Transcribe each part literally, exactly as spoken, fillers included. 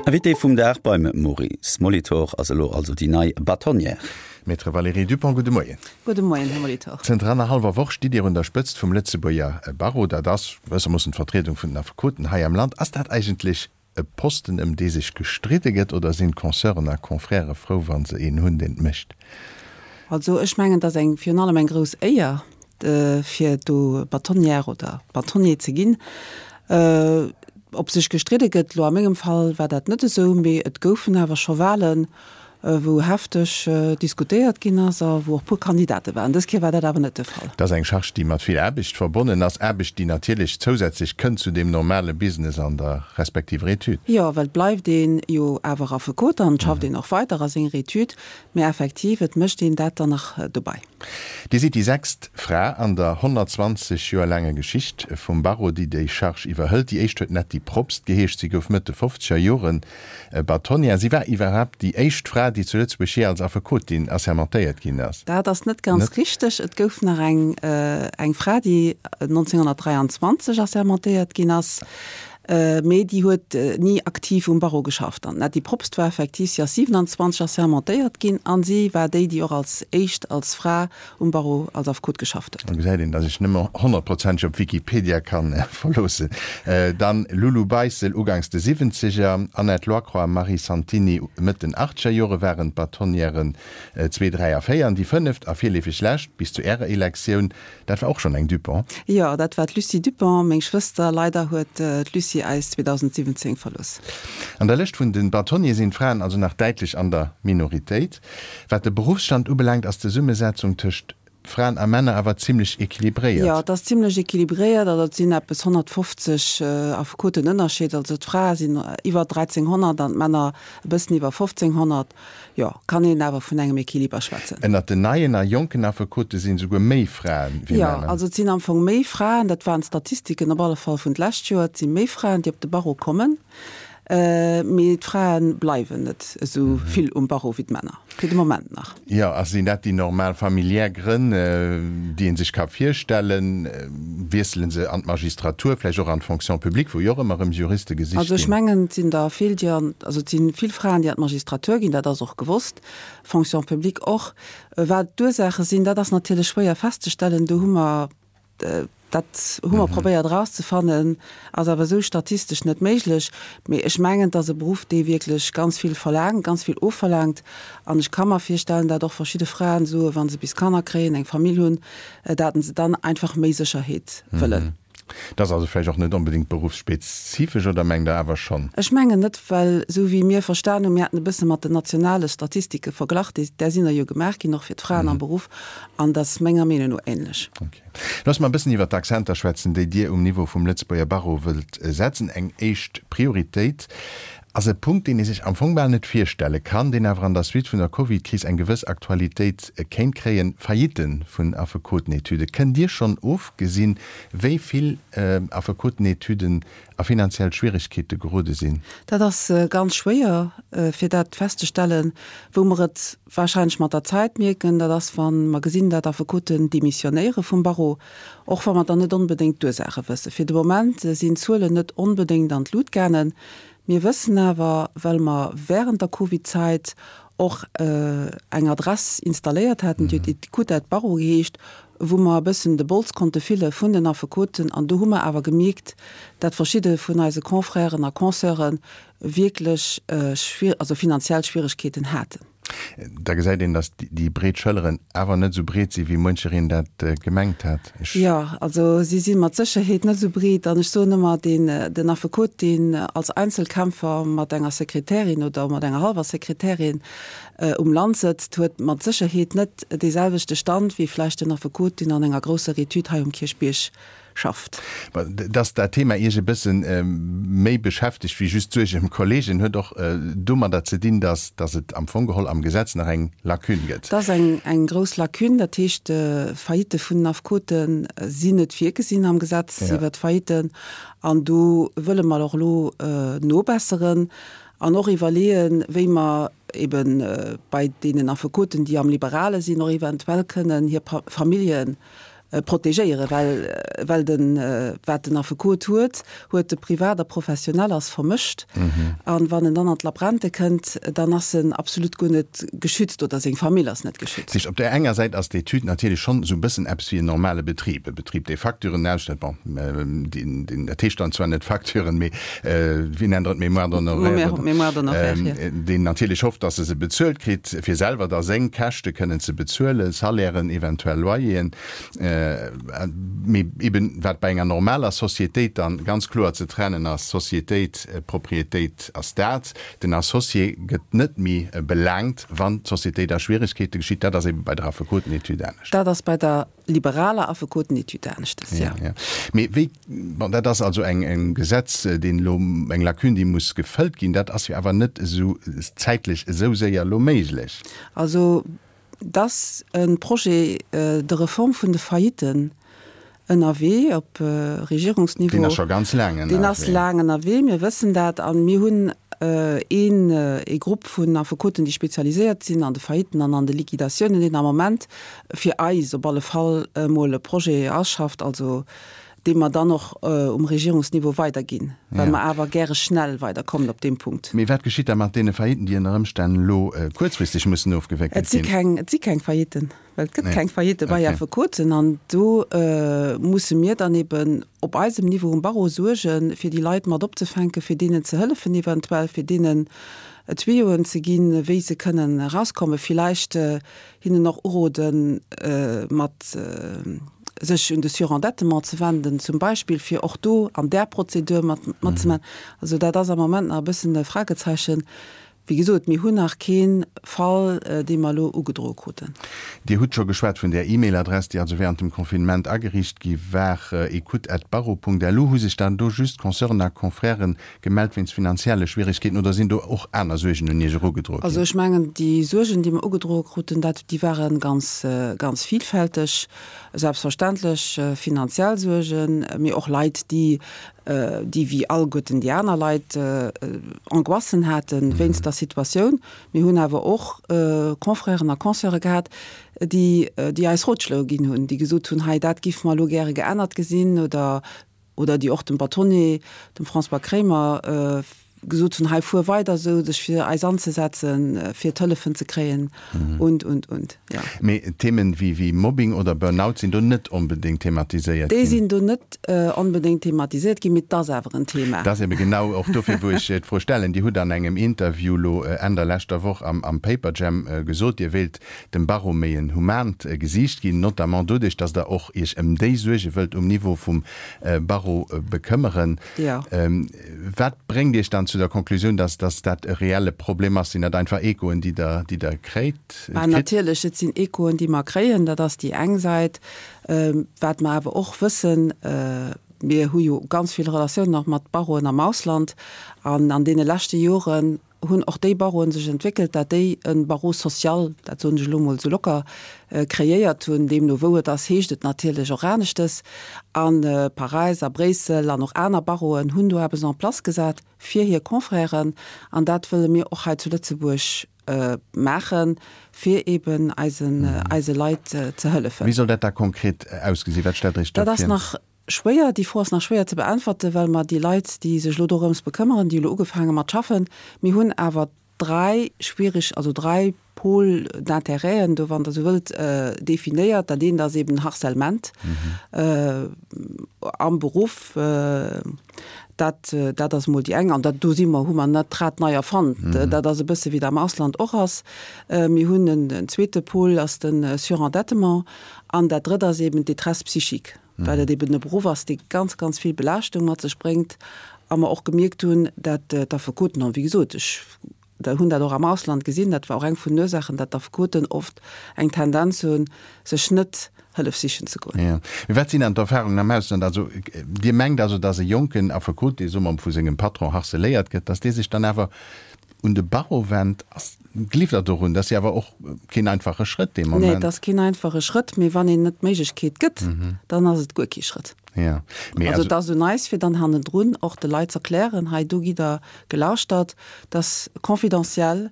Invité vum Dag beim Maurice Molitor ass elo also déi nei Bâtonnière. Maître Valérie Dupong, gudde Moien. Gudde Moien, Här Molitor. Zënter annerhallwer Woch stitt Dir un der Spëtzt vum Lëtzebuerger Barreau. Dat ass gewëssermoossen d'Vertriedung vun den Affekoten hei am Land. Ass dat eigentlech e Posten, ëm dee sech gestridde gëtt, oder sinn d'Consoeuren a Confrèrë frou, wa se een hunn, deen et mécht? Also ech mengen, et ass eng, virun allem eng grouss Éier, fir do Bâtonnière oder Bâtonnier ze ginn. Ob sech gestridde gëtt, elo a mengem Fall war dat net esou, mee et goufen awer scho Wahlen, wou hefteg diskutéiert ginn ass a wou och puer Kandidate waren. Dës Kéier war dat awer net de Fall. Dat ass eng Charge, déi mat vill Aarbecht verbonnen ass, Aarbecht, déi natierlech zousätzlech kënnt zu deem normale Business an der respektiver Etüd. Jo, well et bleift ee jo awer Affekot an et schafft een och weider a senger Etüd, mee effektiv, et mécht een dat dann nach dobei. Dir sidd déi sechst Fra an der honnertzwanzeg Joer laanger Geschicht vum Barreau, déi déi Charge iwwerhëlt. Déi éischt huet Netty Probst geheescht. Si gouf Mëtt de fofzeger Joren Bâtonnière. Si war iwwerhaapt déi éischt Fra, déi zu Lëtzebuerg jee als Affekotin assermentéiert ginn ass. Dat ass net ganz richteg. Et gouf nach eng eng Fra, déi nonzénghonnertdräianzwanzeg assermentéiert ginn ass. Mee déi huet ni aktiv um Barreau geschafft. An d'Netty Probst war effektiv, si ass siwenanzwanzeg assermentéiert ginn a si war déi, déi och als éischt als Fra um Barreau als Affekot geschafft huet. Do gesäit een, datt ech nëmme honnertprozenteg op Wikipedia ka verloossen. Dann Lulu Beissel uganks de Siwwenzeger, Annette Loicroix a Marie Santini Mëtt den Achtzeger Jore waren d'Bâtonnièren zwee, dräi a véier. An déi fënneft a virleefeg lescht, bis zu Ärer Elektioun, dat war och schonn eng Dupont. Jo, dat war d'Lucie Dupont, meng Schwëster. Leider huet d'Lucie eis zweedausendsiwwenzéng verlooss. An der Lëscht vun de Bâtonniers sinn d'Fraen also nach däitlech an der Minoritéit. Wat de Beruffsstand ubelaangt, ass d'Zesummesetzung tëscht Fraen a Männer awer zimlech equilibréiert. Jo, et ass zimlech equilibréiert. Also et sinn eppes honnertfofzeg Affekoten Ënnerscheed. Also d'Frae sinn iwwer dräizénghonnert an d'Männer e bëssen iwwer fofzénghonnert. Jo, kann een awer vun engem Equiliber schwätzen. Ënnert den neien a jonken Affekote sinn esouguer méi Fraen wéi Jo, Männer. also et sinn am Fong méi Fraen, dat waren d'Statistiken op alle Fall vun d'lescht Joer, et si méi Fraen, déi op de Barreau kommen, mee d'Frae bleiwen net esou vill um Barreau wéi d'Männer, fir de Moment nach. Jo, a sinn dat déi normal familiär Grënn, déi ee sech ka virstellen? Wiessele se an d'Magistratur, vläicht och an d'Fonction publique, wou jo och ëmmer erëm Juriste gesicht Also ech ginn? mengen, et sinn der vill, déi an, also et si vill Fraen, déi an d'Magistratur ginn, dat ass och gewosst, Fonction publique och. Wat d'Ursaache sinn, dat ass natierlech schwéier festzestellen. Do hu mer, dat hu mer probéiert erauszefannen, ass awer esou statistesch net méiglech. Mee ech mengen, et ass e Beruff, dee wierklech ganz vill verlaangt, ganz vill ofverlaangt. An ech ka mer virstellen, dat och verschidde Fraen soen, wa se bis Kanner kréien, eng Famill hunn, dat se dann einfach méi Sécherheet wëllen. Dat ass also vläicht och net onbedéngt beruffsspezifesch, oder mengt Der awer schonn? Ech mengen net, well esou wéi mir verstan hunn, mir haten e bësse mat den nationale Statistike verglach, déi, där sinn der jo gemaach ginn, och fir d'Fraen am Beruff, an dat ass menger Meenung no ähnlech. Ok. Loosse mer e bëssen iwwer d'Akzenter schwätzen, déi Dir um Niveau vum Lëtzebuerger Barreau wëllt setzen. Eng éischt Prioritéit ass e Punkt, deen ee sech am Fong bal net virstelle kann, deen awer an der Suite vun der Covid-Kris eng gewëss Aktualitéit kéint kréien, Faillitten vun Affekotenetüde. Kënnt Dir schonn ofgesinn, wéi vill Affekotenetüden a finanziell Schwieregkeete gerode sinn? Dat ass ganz schwéier, fir dat festzestellen. Wou mer et warscheinlech mat der Zäit mierken, dat ass, wa mer gesinn, dat Affekoten demissionéiere vum Barreau, och wa mer dann net onbedéngt d'Ursaache wëssen. Fir de Moment sinn d'Zuelen net onbedéngt an d'Lut gaangen. Mir wëssen awer, well mer während der Covid-Zäit och eng Adress installéiert haten, déi huet Écoute at Barreau geheescht, wou mer e bëssen de Bols konnte fille vun den Affekoten. An do hu mer awer gemierkt, dat verschidde vun eise Confrèren a Consoeure wierklech also finanziell Schwieregkeeten haten. Da gesäit een, datt déi breet Schëlleren awer net esou breet sinn, wéi muenchereen dat gemengt hat. Ech. Jo, also si si mat Sécherheet net esou breet. An ech soen ëmmer, deen, den Affekot, deen als Einzelkämpfer mat enger Sekretärin oder mat enger hallwer Sekretärin um Land sëtzt, huet mat Sécherheet net deeselwechte Stand wéi vläicht den Affekot, deen an enger grousser Etüd hei um Kierchbierg schafft. Dass dat Thema Iech e bësse méi beschäftegt wéi just d'Suerg ëm Kolleegen, huet och domadder ze dinn, dass dass et am Fong geholl am Gesetz nach eng Lacune gëtt. Et ass eng eng grouss Lacune. Dat heescht, Faillitte vun den Affekote sinn net virgesinn am Gesetz iwwert d'Faillitten. An do wëlle mer och elo nobesseren an och iwwerleeën, wéi mer ebe bei deenen Affekoten, déi am Liberale sinn, och eventuell kënnen hir Familljen protegéieren, well, well den, wat den Affekot huet, huet de privat a professionell ass vermëscht. An wann en dann an d'Labrente kënnt, dann ass en absolut guer net geschützt oder seng Famill ass net geschützt. Dat heescht, op där enger Säit ass d'Etüd natierlech schonn esou e bëssen eppes wéi en normale Betrib, e Betrib, dee Facturen ausstellt, bon, deen, deen, dat heescht dann zwar net Facturen, mee wéi nennt Der et, Mémoire d'honoraires oder, Mémoire d'honoraires, jo. deen natierlech hofft, dass e se bezuelt kritt, fir selwer da seng Käschte kënnen ze bezuelen, Salairen, eventuell Loyeren. Mee eben, wat bei enger normaler Sociétéit dann ganz kloer ze trennen ass, Sociétéit, Propriétéit ass dat, den Associé gëtt net méi belaangt, wann d'Sociétéit a Schwieregkeete geschitt. Dat ass eben bei der Affekotenetüd anescht. Dat ass bei der liberaler Affekotenetüd aneschtes, jo. Jo. Mee wéi, bon, dat ass also eng, e Gesetz, deen elo, eng Lacune, déi muss gefëllt ginn. Dat ass jo awer net esou zäitlech esou séier elo méiglech. Also, Et ass e Projet de réforme vun de Faillitten ënnerwee op Regierungsniveau. Deen ass scho ganz laang ënnerwee. Deen ass laang ënnerwee, mir wëssen dat. A mir hunn een ee Grupp vun Affekoten, déi spezialiséiert sinn an de Faillitten an an de Liquidatiounen, deen am Moment fir eis op alle Fall emol e Projet ausschafft, also dee mer dann och um Regierungsniveau weiderginn, well mer awer gäre schnell weiderkommen op deem Punkt. Mee wat geschitt da mat deene Faillitten, déi ënner Ëmstänn elo kuerzfristeg mussen ofgewéckelt Et si ginn? keng, et si keng Faillitten, well et gëtt keng Faillitte bei Affekoten. An do musse mir dann eben op eisem Niveau um Barreau suergen, fir déi Leit mat opzefänken, fir deenen ze hëllefen eventuell, fir deenen Tuyauen ze ginn, wéi se kënnen erauskommen, villäicht hinnen och uroden, mat sech un de Surendettement ze wenden zum Beispill, fir och do an där Prozedur mat matzemaachen. Also dat ass am Moment nach e bëssen e Fragezeichen. Wéi gesot, mir hunn nach kee Fall, dee mer elo ugedroe kruten. Dir hutt scho geschwat vun där E-Mail-Adress, déi also während dem Confinement ageriicht gi war, ecoute at barreau punkt lu. Hu sech dann do just Consoeuren a Confrèren gemellt wéinst finanzielle Schwieregkeeten oder sinn do och aner Suergen un Iech erugedroe ginn? Also ech mengen, déi Suergen, déi mer ugedroe kruten, dat, déi ware ganz, ganz vielfälteg. Selbstverständlech finanziell Suergen, mee och Leit, déi, déi wéi alleguerten déi aner Leit Angoissen hate wéinst der Situatioun. Mir hunn awer och Confrèren a Consoeure gehat, déi, déi eis Rotschloe ginn hunn, déi gesot hunn, hei dat géife mer elo gäre geännert gesinn, oder, oder déi och dem Bâtonnier, dem François Kremer, gesot hunn, hei fuer weider esou, sech fir eis anzesetzen, fir d'Hëllefen ze kréien und, und, und. Jo. Mee Themen wéi, wéi Mobbing oder Burnout sinn do net onbedéngt thematiséiert Déi ginn? sinn do net onbedéngt thematiséiert ginn, mee et ass awer en Thema. Dat ass ebe genau och dofir, wou ech d'Fro stellen. Dir hutt an engem Interview elo Enn der leschter Woch am, am Paperjam gesot, Dir wéilt dem Barreau méi en humant Gesiicht ginn, notamment doduerch, datt Der och Iech ëm déi Suerge wëllt um Niveau vum Barreau bekëmmeren. Jo. Wat bréngt Iech dann zu der Konklusioun, dass, dass dat e reelle Problem ass? Sinn dat einfach Echoen, déi Der, déi Der kréit, Bah, kritt? natierlech, et sinn Echoen, déi mer kréien, dat ass déi eng Säit. Wat mer awer och wëssen, mir hu jo ganz vill Relatiounen och mat Barreauen am Ausland, an an deene leschte Joren hunn och déi Barreauen sech entwéckelt, dat déi e Barreau social, dat soen ech elo emol esou locker, kreéiert hunn. Deemno wou et ass, heescht et natierlech och aneschtes. A Paräis a Bréissel an och aner Barreauen hunn do eppes en place gesat fir hir Confrèren. An dat wëlle mir och hei zu Lëtzebuerg maachen, fir eeben eisen, eise Leit ze hëllefen. Wéi soll dat da konkret ausgesinn? Wat stellt Der Iech do Dat ass vir? nach schwéier, déi Fro ass nach schwéier ze beäntwerten, well mer déi Leit, déi sech elo dorëms bekëmmeren, déi elo ugefaange mat schaffen, mir hunn awer dräi schwierig, also dräi Pôles d'intérêten do, wann Der esou wëllt, definéiert. Dat eent ass eben Harcèlement am Beruff, dat, dat ass emol déi eng, an dat, do si mer, hu mer net d'Rad nei erfonnt, dat ass e bësse wéi et am Ausland och ass. Mir hunn en zweete Pôle, ass de Surendettement, an dat drëtt ass eben d'Détresse psychique. well et eben e Beruff ass, dee ganz, ganz vill Belaaschtung mat sech bréngt, a mer och gemierkt hunn, dat d'Affekoten, an wéi gesot, ech hunn dat och am Ausland gesinn, dat war och eng vun den Ursaachen, dat d'Affekoten oft eng Tendenz hunn, sech net Hëllef sichen ze goen. Jo. Mee wat sinn dann d'Erfahrungen am Ausland? Also Dir mengt also, datt e jonken Affekot, dee, soe mer, vu sengem Patron harceléiert gëtt, datt dee sech dann awer un de Barreau wennt? Ass, gleeft Der dorun? Dat ass jo awer och keen einfache Schrëtt dee Nee, Moment. et ass keen einfache Schrëtt, mee wann een net d'Méiglechkeet gëtt, dann ass et guer kee Schrëtt. Ja, mee Also also. et ass un eis, fir dann hannendrun och de Leit z'erklären, hei do gitt Der gelauschtert, dat ass confidentiel,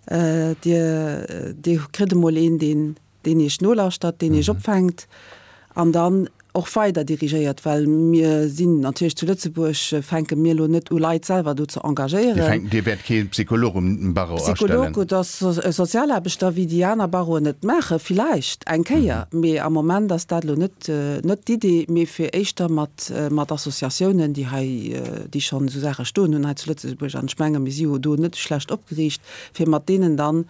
Dir, Dir kritt emol een, deen, deen Iech nolauschtert, deen Iech opfänkt. An dann och weider dirigéiert, well mir sinn natierlech zu Lëtzebuerg, fänke mir elo net u Leit selwer do ze engagéieren. Dir wäert kee Psycholog um Barreau astellen? Psycholog oder Sozialaarbechter, wéi déi aner Barreauen et maachen, villäicht eng Kéier, mee am Moment ass dat elo net net d'Idee, mee fir éischter mat mat Associatiounen, déi hei, déi schonn esou Saache stoen hunn hei zu Lëtzebuerg, an ech menge mir si jo do net schlecht opgeriicht, fir mat deenen dann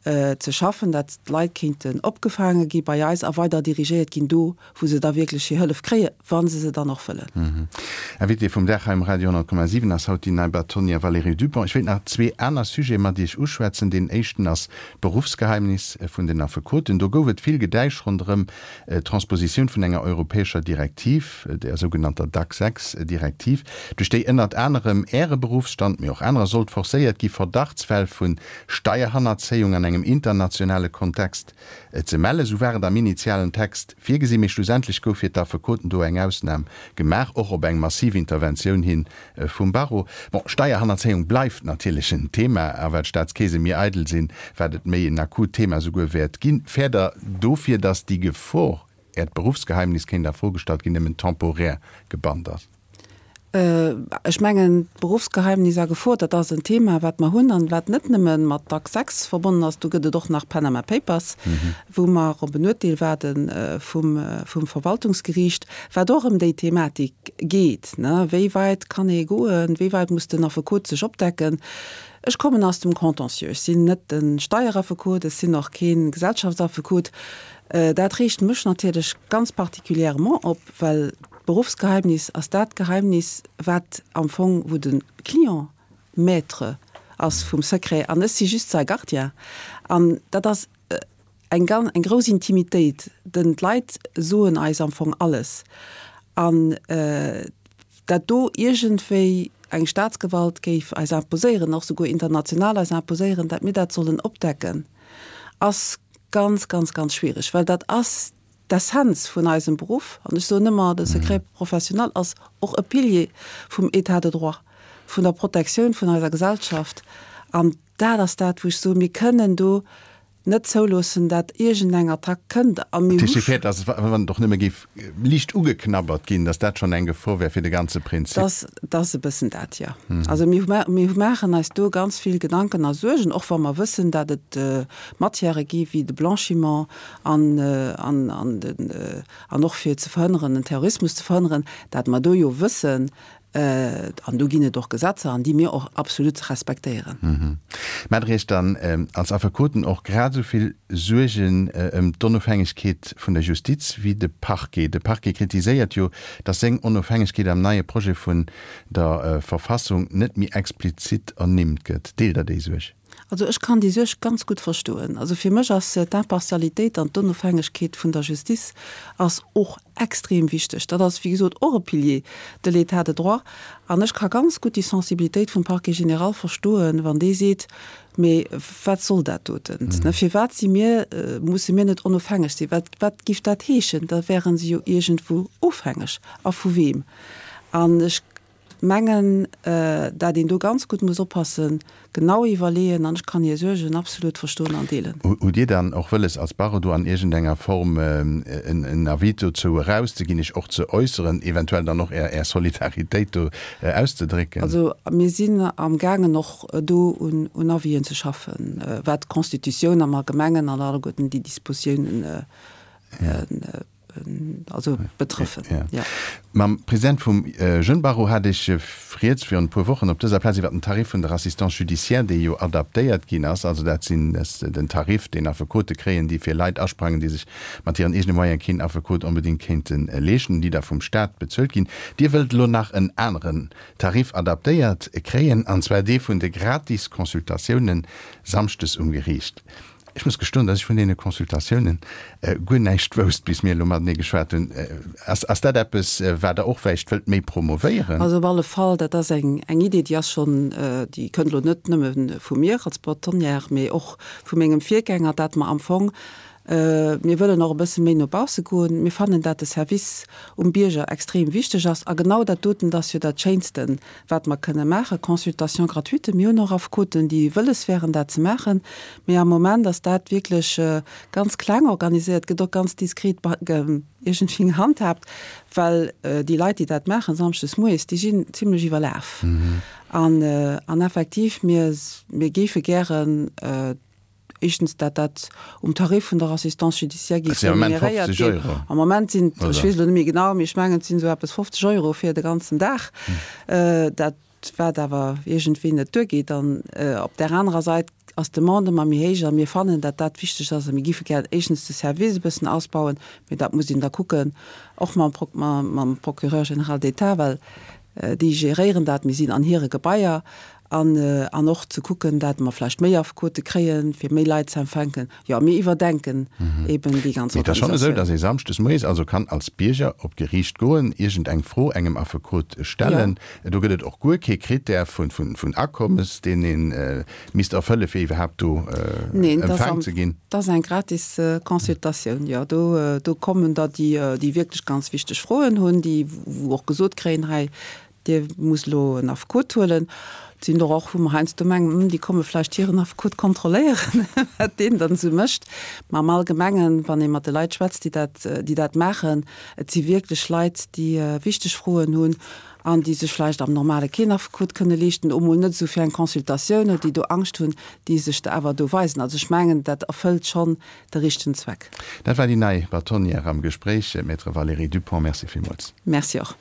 ze schaffen, dat d'Leit kéinten opgefaange gi bei eis a weider dirigéiert ginn do, wou se da wierklech hir Hëllef kréien, wa se se dann och wëllen. Invitée vum Dag hei um Radio honnert Komma siwen ass haut déi nei Bâtonnière Valérie Dupong. Ech wéilt nach zwee aner Sujete mat Iech uschwätzen. Deen éischten ass d'Beruffsgeheimnis vun den Affekoten. Do gouf et vill Gedäisch ronderëm d'Transpositioun vun enger europäescher Direktiv, der sougenannter DAC sechs Direktiv, duerch déi ënnert anerem Äre Beruffsstand, mee och anerer, sollt forcéiert gi Verdachtsfäll vu Steierhannerzéiung an engem internationale Kontext ze mellen. Esou war et am initialen Text virgesinn, mee schlussendlech gouf fir d'Affekoten do eng Ausnam gemaach, och op eng massiv Interventioun hi vum Barreau. Bon, Steierhannerzéiung bleift natierlech en Thema, a wat d'Staatskeese méi eidel sinn, wat et méi en akut Thema souguer wäert ginn. Fäert Der dofir, datt déi Gefor, Äert Beruffsgeheimnis kéint a Fro gestallt ginn, nëmmen temporär gebannt ass? Ech mengen, d'Beruffsgeheimnis a Gefor, dat ass en Thema, wat mer hunn an wat net nëmme mat DAC sechs verbonnen ass. Do gëtt et och nach Panama Papers, wou mer op en Urteel waarde vum, vum Verwaltungsgeriicht, wat och ëm déi Thematik geet, ne. Wéi weit kann ee goen? Wéi weit muss den Affekot sech opdecken? Ech kommen aus dem Contentieux. Ech sinn net de Steieraffekot, ech sinn och kee Gesellschaftsaffekot. Dat reegt mech natierlech ganz particulièrement op, well D'Beruffsgeheimnis ass dat Geheimnis, wat am Fong, wou de Client Maître ass vum Secret an ech si just säi Gardien. An dat ass eng gan, eng grouss Intimitéit, denn d'Leit soen eis am Fong alles. An dat do iergendwéi eng Staatsgewalt géif eis imposéieren, och souguer international eis imposéieren, dat mir dat sollen opdecken, ass ganz, ganz, ganz schwierig, well dat ass d'Essenz vun eisem Beruff, an ech soen ëmmer, de Secret professionnel ass och e Pilier vum État de droit, vun der Protektioun vun eiser Gesellschaft. An dat ass dat, wou ech soen, mir kënnen do net zouloossen, dat iergendeng Attack kënnt. A mir hu. Dat heescht, dass, wann et och nëmme géif liicht ugeknabbert ginn, dass dat schonn eng Gefor wär fir de ganze Prinzip? Dat ass e bëssen dat, jo. Also mir maachen eis do ganz vill Gedanken a Suergen, och wa mer wëssen, dat et Matièrë gi wéi de Blanchiment an, an, an den, an och fir ze verhënneren, den Terrorismus ze verhënneren, dat mer do jo wëssen, an do ginn et och Gesetzer, an déi mir och absolut respektéieren. Mä Der Iech dann als Affekoten och grad esou vill Suergen ëm d'Onofhängegkeet vun der Justiz wéi de Parquet? De Parquet kritiséiert jo, datt seng Onofhängegkeet am neie Projet vun der Verfassung net méi explizit ernimmt gëtt. Deelt Der déi Suerg? Also ech kann déi Suerg ganz gutt verstoen. Also fir mech ass d'Impartialitéit an d'Onofhängegkeet vun der Justiz ass och extrem wichteg. Dat ass, wéi gesot, och e Pilier de l'État de droit. An ech ka ganz gutt déi Sensibilitéit vum Parquet général verstoen, wann dee seet, Mee wat soll dat doten? Firwat si mir, musse mir net onofhängeg sinn? Wat, wat giff dat heeschen? Da wäre se jo iergendwou ofhängeg. A vu weem? An ech mengen, dat een do ganz gutt muss oppassen, genau iwwerleeën, an ech kann hir Suergen absolut verstoen an deelen. Hutt Dir dann och wëlles als Barreau do an iergendenger Form en Avis dozou erauszeginn, Iech och ze äusseren, eventuell dann och Är Solidaritéit do auszedrécken? Also mir sinn amgaangen och do un Avisen ze schaffen, wat d'Constitutioun am Allgemengen an alleguerten déi Dispositiounen also betrëffen. Ja. Mam President vum Jeunes Barreau hat ech rieds virun e puer Wochen op dëser Plaz iwwer den Tarif vun der Assistance judiciaire, dee jo adaptéiert ginn ass. Also dat sinn den Tarif, deen Affekote kréien, déi fir Leit asprangen, déi sech mat hiren eegene Moyene keen Affekot onbedéngt kéinte leeschten, déi da vum Staat bezuelt ginn. Dir wëllt elo nach en aneren Tarif adaptéiert kréien, an zwar dee vun de gratis Consultatiounen samschdes um Geriicht. Ech muss gestoen, dass ech vun deene Consultatiounen guer näischt wousst, bis mir elo matenee geschwat hunn. Ass, ass dat eppes, wat Der och vläicht wëllt méi promovéieren? Also op alle Fall, dat ass eng, eng Idee, déi ass schonn, déi kënnt elo net nëmme vu mir als Bâtonnière, mee och vu mengem Virgänger, dat mer am Fong Mir wëllen och e bësse méi no bausse goen. Mir fannen, dat de Service um Bierger extrem wichteg ass. A genau dat doten, dat ass jo dat Schéinsten, wat mer kënne maachen, Consultation gratuite. Mir hunn och Affekoten, déi wëlles wären, dat ze maachen. Mee am Moment ass dat wierklech ganz kleng organiséiert, gëtt och ganz diskret iergendwéi gehandhaabt, well déi Leit, déi dat maachen samschdes moies, déi sinn zimlech iwwerlaf. An, an effektiv, mir, mir géife gären, éischtens, dat dat um Tarif vun der Assistance judiciaire géif remuneréiert ginn. Am Moment sinn, ech weess elo net méi genau, mee ech mengen, et sinn esou eppes fofzeg Euro fir de ganzen Dag, dat wat awer iergendwéi net duergeet. An op där anerer Sait ass d'Demande ëmmer méi héich a mir fannen, dat dat wichteg ass a mir géife gär éischtens de Service e bëssen ausbauen, mee dat muss een da kucken, och mam mam Procureur général d'État, well déi geréieren dat, mir sinn an hire Gebaier an an och ze kucken, dat mer vläicht méi Affekote kréien, fir méi Leit ze empfänken. Jo, mir iwwerdenken eben déi ganz Mee et ass schonn esou, Organisatioun. datt ee samschdes moies also kann als Bierger op d'Geriicht goen, iergend eng Fro engem Affekot stellen. Do gëtt et och guer kee Krittär vun vun Akommes, deen ee misst erfëlle fir iwwerhaapt do Neen, dat ass empfaang am ze ginn. dat ass eng gratis Consultatioun, jo. Do do kommen der, déi déi wierklech ganz wichteg Froen hunn, déi wou och gesot kréien, hei Dir musst elo en Affekot huelen. Et sinn der och, wou mer heiansdo mengen, hm, déi komme vläicht hiren Affekot kontrolléieren, wat deen dann esou mécht. Mä am Allgemengen, wann ee mat de Leit schwätzt, déi dat, déi dat maachen, et si wierklech Leit, déi wichteg Froen hunn an déi sech vläicht am Normale keen Affekot kënne leeschten, emol net esou fir eng Consultatioun, oder déi do Angscht hunn, déi sech da awer do weisen. Also ech mengen, dat erfëllt schonn de richtegen Zweck. Dat war déi nei Bâtonnière am Gespréich, Maître Valérie Dupong. Merci villmools. Merci och.